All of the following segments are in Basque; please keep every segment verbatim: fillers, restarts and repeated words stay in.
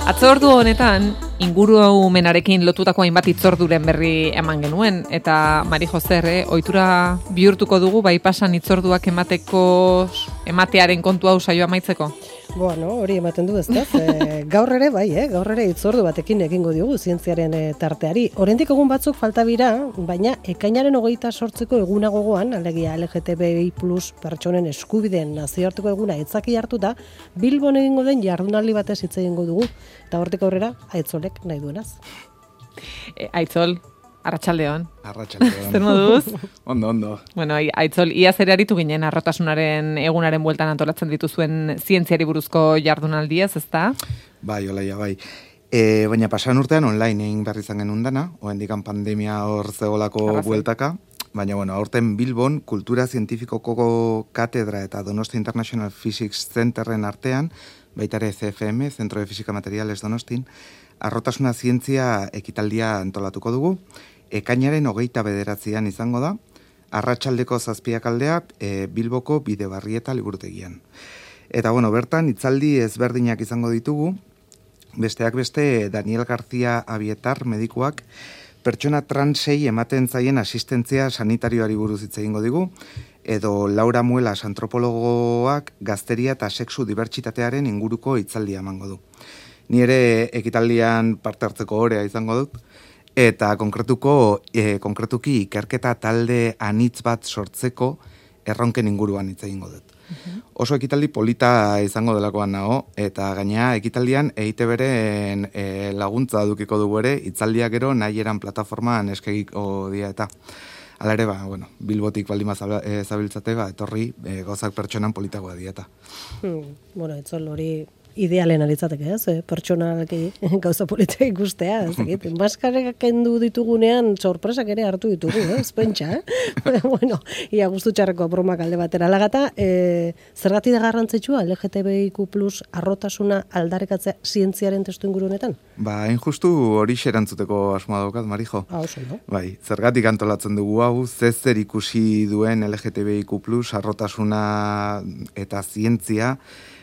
Atzordu honetan, ingurumenarekin lotutako hainbat itzorduren berri eman genuen, eta Mari Joser, eh, ohitura bihurtuko dugu, bai pasan itzorduak emateko, ematearen kontu hau saioa amaitzeko? Bueno, hori ematen du, ezta? E, gaur ere, bai, eh? gaur ere itzordu batekin egingo diogu zientziaren e, tarteari. Oraindik egun batzuk falta bira, baina ekainaren hogeita sortzeko eguna gogoan, alegia L G T B I plus pertsonen eskubideen nazioarteko eguna itzaki hartuta, Bilbon egingo den jardunaldi batez hitz egingo dugu, eta hortik aurrera, Aitzolek nahi duenaz. E, Aitzol, arratsaldeon. Arratsaldeon. Zer moduz? Ondo, ondo. Bueno, Aitzol, ia zer aritu ginen arrotasunaren egunaren bueltan antolatzen dituzuen zientziari buruzko jardunaldiaz, ezta? Bai, olaia, bai. E, baina pasan urtean online egin behar izan genuen dana, oendikan pandemia hor zegoelako bueltaka, baina, bueno, aurten Bilbon kultura zientifikoko katedra eta Donosti International Physics Centerren artean, baita ere C F M, Centro de Física Materiales Donostin, arrotasuna zientzia ekitaldia antolatuko dugu, ekainaren hogeita bederatzian izango da, arratsaldeko zazpiak aldea e, Bilboko Bidebarrieta liburutegian. Eta bueno, bertan hitzaldi ezberdinak izango ditugu, besteak beste Daniel García Abietar medikuak pertsona transei ematen zaien asistentzia sanitarioari buruz hitz egingo digu, edo Laura Muelas antropologoak gazteria eta sexu dibertsitatearen inguruko hitzaldia emango du. Ni ere ekitaldian parte hartzeko orea izango dut, eta konkretuko, e, konkretuki ikerketa talde anitz bat sortzeko erronken inguruan hitz egingo dut. Uh-huh. Oso ekitaldi polita izango delakoan nago, eta gainea ekitaldian E I T Bren e, laguntza dukiko dugu ere, hitzaldia gero nahi eran plataformaan eskegiko dia eta. Hala ere, ba, bueno, Bilbotik baldin zabiltzate, ba, etorri e, gauzak pertsonan politagoa dieta. Hmm, bueno, etzol hori idealen alitzateke, ez? Eh? Pertsonalki gauza politika ikustea, ez dakit. Maskarek kendu ditugunean sorpresak ere hartu ditugu, ez? Pentsa, eh? Bueno, ia gustu txarreko bromak alde batera lagata, eh, zergatik da garrantzitsua L G T B I Q plus arrotasuna aldarrikatzea zientziaren testu inguru honetan? Ba, hain justu hori xerantzuteko asmoa daukat, Marijo. Ah, oso, no? Bai, zergatik antolatzen dugu hau, zezer ikusi duen L G T B I Q plus arrotasuna eta zientzia.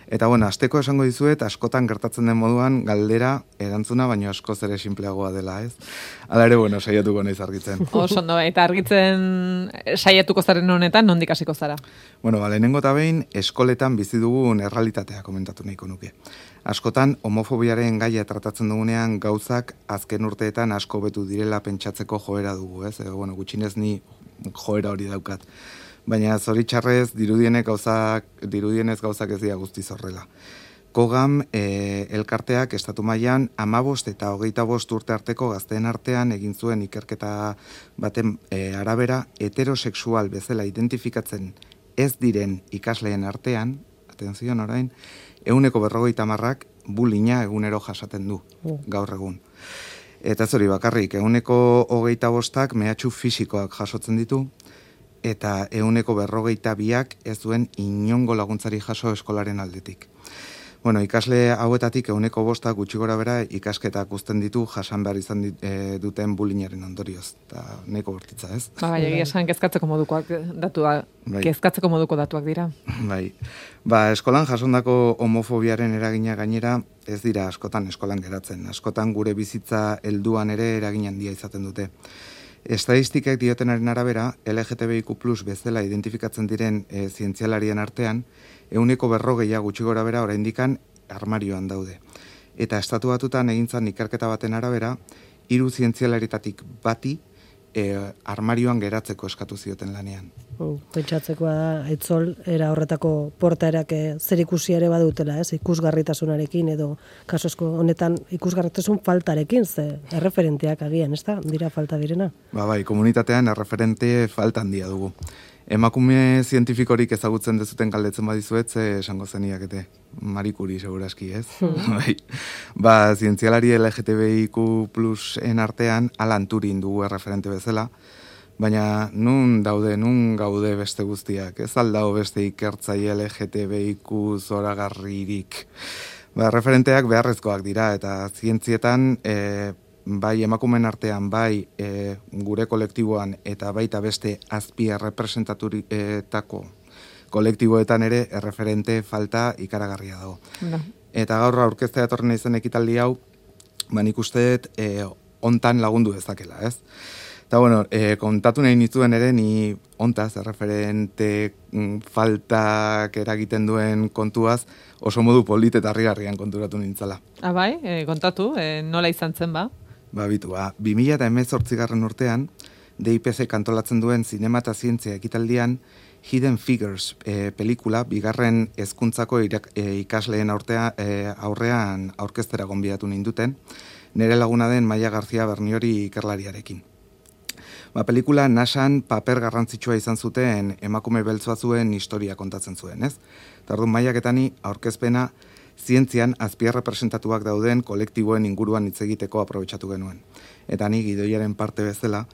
Eta bueno, asteko esango dizuet, askotan gertatzen den moduan galdera erantzuna, baino askoz ere sinpleagoa dela, ez? Hala ere, bueno, saiatuko naiz argitzen. Oso ondo, eta argitzen saiatuko zaren honetan, nondik hasiko zara? Bueno, ba, lehenengo eta behin, eskoletan bizi dugun errealitatea komentatu nahiko nuke. Askotan, homofobiaren gaia tratatzen dugunean gauzak azken urteetan asko betu direla pentsatzeko joera dugu, ez? E, bueno, gutxinez ni joera hori daukat. Baina zoritxarrez dirudienez gauzak, dirudienez gauzak ez dira guztiz horrela. Kogam e, elkarteak estatu mailan hamabost eta hogeita bost urte arteko gazteen artean egin zuen ikerketa baten e, arabera heterosexual bezala identifikatzen ez diren ikasleen artean, atenzion orain, ehuneko berrogeita hamarrak bullyinga egunero jasaten du gaur egun. Eta zori bakarrik, ehuneko hogeita bostak mehatxu fisikoak jasotzen ditu, eta ehuneko berrogeita biak ez duen inongo laguntzari jaso eskolaren aldetik. Bueno, ikasle hauetatik ehuneko bosta gutxi gora bera ikasketak uzten ditu jasan behar izan dit, e, duten bullyingaren ondorioz. Eta nahiko bortitza, ez? Ba, bai, egia esan kezkatzeko modukoak datuak, bai. Kezkatzeko moduko datuak dira. Bai. Ba, eskolan jasondako homofobiaren eragina gainera ez dira askotan eskolan geratzen. Askotan gure bizitza helduan ere eragin handia izaten dute. Estadistikak diotenaren arabera, L G T B I Q plus bezala identifikatzen diren e, zientzialarien artean, ehuneko berrogeia gutxi gora bera oraindikan armarioan daude. Eta estatu batutan egintzan ikerketa baten arabera, hiru zientzialaritatik bati e, armarioan geratzeko eskatu zioten lanean. Uh, pentsatzekoa da, Aitzol, era horretako portaerak zer ikusi ere badutela, ez? Ikusgarritasunarekin edo kasosko honetan ikusgarritasun faltarekin, ze erreferenteak agian, ez da? Dira falta direna. Ba bai, komunitatean erreferente falta handia dugu. emakume zientifikorik ezagutzen dezuten galdetzen badizuet, ze esango zeniakete, Marie Curie seguraski, ez? Bai. Ba, zientzialari L G T B I Q plus en artean Alan Turing dugu erreferente bezala, baina nun daude, nun gaude beste guztiak, ez aldao beste ikertzaile L G T B I Q zoragarririk. Ba, referenteak beharrezkoak dira, eta zientzietan, e, bai emakumen artean, bai e, gure kolektiboan, eta baita beste azpi errepresentaturitako kolektiboetan ere erreferente falta ikaragarria dago. No. Eta gaur aurkeztea etorri naizen ekitaldi hau, ba nik uste dut e, hontan lagundu dezakela, ez? Eta, bueno, e, kontatu nahi nituen ere, ni ontaz, erreferente mm, faltak eragiten duen kontuaz, oso modu polit eta harrigarrian konturatu nintzala. Ah, bai, e, kontatu, e, nola izan zen, ba? Ba, bitu, ba, bi mila hemezortzigarren urtean, D I P C kantolatzen duen zinema eta zientzia ekitaldian, Hidden Figures e, pelikula, bigarren hezkuntzako irak, e, ikasleen aurtea, e, aurrean aurkeztera gonbidatu ninduten, nire laguna den Maia García Berniori ikerlariarekin. Ba, pelikula nasan paper garrantzitsua izan zuten emakume beltz batzuen historia kontatzen zuen, ez? Tardun Maiak eta ni aurkezpena zientzian azpiarrepresentatuak dauden kolektiboen inguruan hitz egiteko aprobetxatu genuen. Eta ni gidoiaren parte bezala,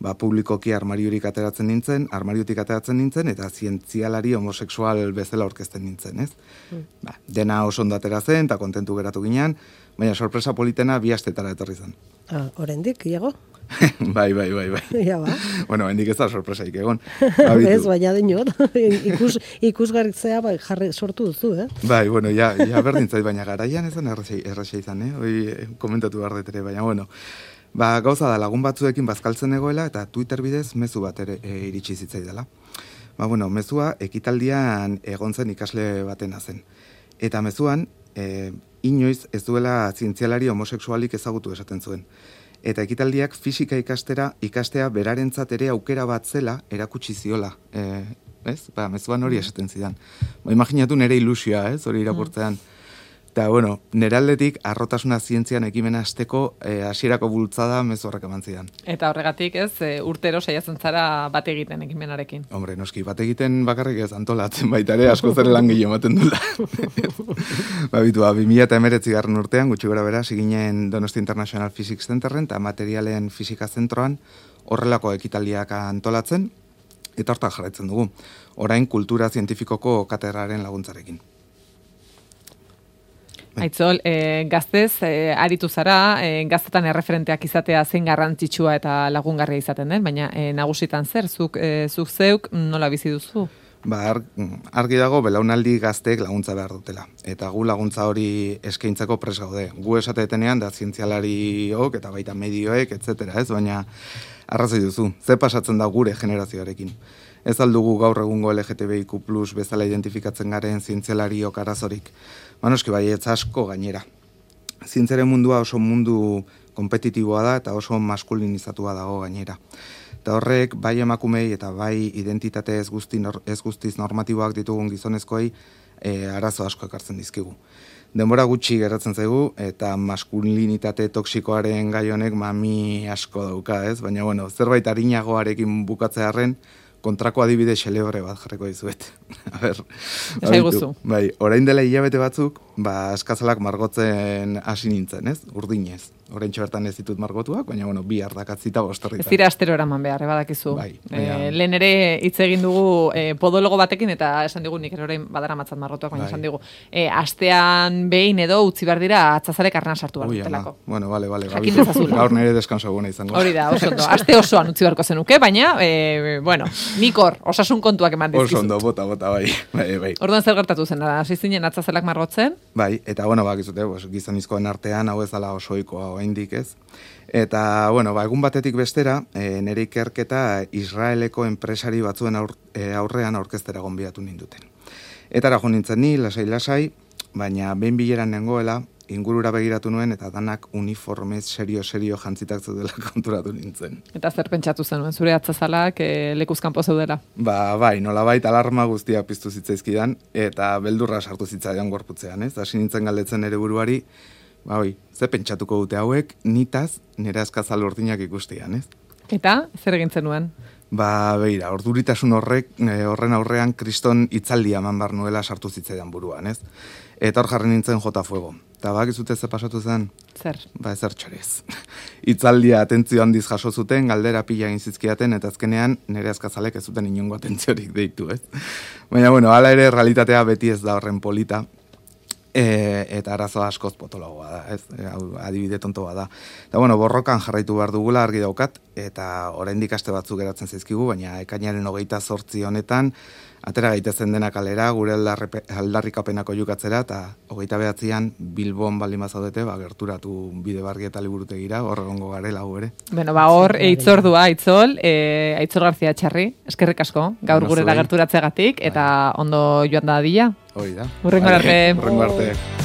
ba, publikoki armariorik ateratzen nintzen, armariotik ateratzen nintzen, eta zientzialari homosexual bezala aurkezten nintzen, ez? Mm. Ba, dena oso ondo atera zen, eta kontentu geratu ginean, baina sorpresa politena bi astetara etorri zen. Ah, oraindik, Iago? bai, bai, bai, bai. Ja, ba. Bueno, hendik ez da sorpresaik egon. Ez, baina dinot, ikus, ikusgarritzea bai, jarri sortu duzu, eh? Bai, bueno, ja, ja berdin zait, baina garaian ez da erraxa izan, eh? Hoi komentatu behar dut ere, baina, bueno, ba, gauza da lagun batzuekin bazkaltzen egoela, eta Twitter bidez mezu bat ere e, iritsi zitzaidala. Ba, bueno, mezua ekitaldian egon zen ikasle batena zen. Eta mezuan, e, inoiz ez duela zientzialari homosexualik ezagutu esaten zuen. Eta ekitaldiak fisika ikastera, ikastea berarentzat ere aukera bat zela erakutsi ziola. E, ez? Ba, mezuan hori esaten zidan. Ba, imaginatu nire ilusioa, ez? Hori irakurtzean. Eta, bueno, nire aldetik arrotasuna zientzian ekimena hasteko e, hasierako bultzada mezu horrek eman zidan. Eta horregatik, ez, e, urtero saiatzen zara bat egiten ekimenarekin. Hombre, noski, bat egiten bakarrik ez antolatzen baita ere, asko zer lan gehiago ematen dula. Ba, bitu, bi mila hemeretzigarren urtean, gutxi gora bera, ziginen Donosti International Physics Centerren eta materialen fisika zentroan horrelako ekitaldiak antolatzen, eta hortan jarraitzen dugu. Orain kultura zientifikoko katedraren laguntzarekin. Aitzol, e, gaztez, e, aritu zara, e, gaztetan erreferenteak izatea zein garrantzitsua eta lagungarria izaten den, baina e, nagusitan zer, zuk, e, zuk zeuk nola bizi duzu? Ba, argi dago belaunaldi gazteek laguntza behar dutela. Eta gu laguntza hori eskaintzeko pres gaude. Gu esatetenean da zientzialariok eta baita medioek, et cetera, ez? Baina arrazoi duzu, ze pasatzen da gure generazioarekin. Ez aldugu gaur egungo L G T B I Q plus bezala identifikatzen garen zientzialariok arazorik. Manoski bai, ez asko gainera. Zientziaren mundua oso mundu kompetitiboa da eta oso maskulinizatua dago gainera. Eta horrek bai emakumei eta bai identitate ez, guzti, ez guztiz normatiboak ditugun gizonezkoei e, arazo asko ekartzen dizkigu. Denbora gutxi geratzen zaigu eta maskulinitate toksikoaren gai honek mami asko dauka, ez? Baina bueno, zerbait arinagoarekin bukatzearren kontrako adibide xelebre bat jarriko dizuet. A ber, Esaiguzu. Bai, orain dela hilabete batzuk, ba, eskazalak margotzen hasi nintzen, ez? Urdinez. Oraintxe bertan ez ditut margotuak, baina, bueno, bi ardakatzita bostorritan. Ez dira astero eraman behar, badakizu. Bai, baina... e, lehen ere hitz egin dugu e, podologo batekin, eta esan digu nik orain badara matzat margotuak, baina bai. Esan digu, e, astean behin edo utzi behar dira atzazarek arna sartu behar dutelako. Bueno, vale, vale. Jakin dezazula. Gaur nire deskanso eguna izango. Hori da, oso ondo. Aste osoan utzi beharko zenuke, baina, e, bueno, nik hor, osasun kontuak eman dizkizut. Oso ondo, bota, bota, bai. bai, bai. Orduan zer gertatu zen, hasi zinen atzazelak margotzen? Bai, eta bueno, bakizute, pues, gizonizkoen artean hau ez dela osoikoa oraindik, ez? Eta, bueno, ba, egun batetik bestera, e, nire ikerketa Israeleko enpresari batzuen aur, e, aurrean aurkeztera gonbidatu ninduten. Eta ara jo nintzen ni, lasai-lasai, baina behin bileran nengoela, ingurura begiratu nuen eta danak uniformez serio-serio jantzitak zeudela konturatu nintzen. Eta zer pentsatu zenuen, zure atzazalak e, lekuzkanpo zeudela? Ba, bai, nolabait alarma guztia piztu zitzaizkidan, eta beldurra sartu zitzaidan gorputzean, ez? Hasi nintzen galdetzen ere buruari, ba, oi, ze pentsatuko dute hauek, nitaz nire askazal urdinak ikustian, ez? Eta, zer egin zenuen? Ba, beira, orduritasun horrek, e, horren aurrean kriston hitzaldia eman bar nuela sartu zitzaidan buruan, ez? Eta hor jarri nintzen jota fuego. Eta bakizute ze pasatu zen? Zer? Ba, ezer txorez. Hitzaldia atentzio handiz jaso zuten, galdera pila egin zizkiaten, eta azkenean nire azkazalek ez zuten inongo atentziorik deitu, ez? Baina, bueno, hala ere realitatea beti ez da horren polita, e, eta arazo askoz potologoa da, ez? E, adibide tontoa da. Eta, bueno, borrokan jarraitu behar dugula argi daukat, eta oraindik aste batzuk geratzen zaizkigu, baina ekainaren hogeita zortzi honetan, atera gaitezen dena kalera, gure aldarrikapenako jukatzera, eta hogeita behatzian Bilbon baldin bazaudete, ba, gerturatu bide barri eta liburutegira, hor egongo garela gu ere. Bueno, ba, hor, eitzordua, aitzol, e, Aitzol Garzia Txarri, eskerrik asko, gaur gurera gerturatzegatik, eta ondo joan da dila. Hoi da. Hurrengo arte. Hurrengo arte.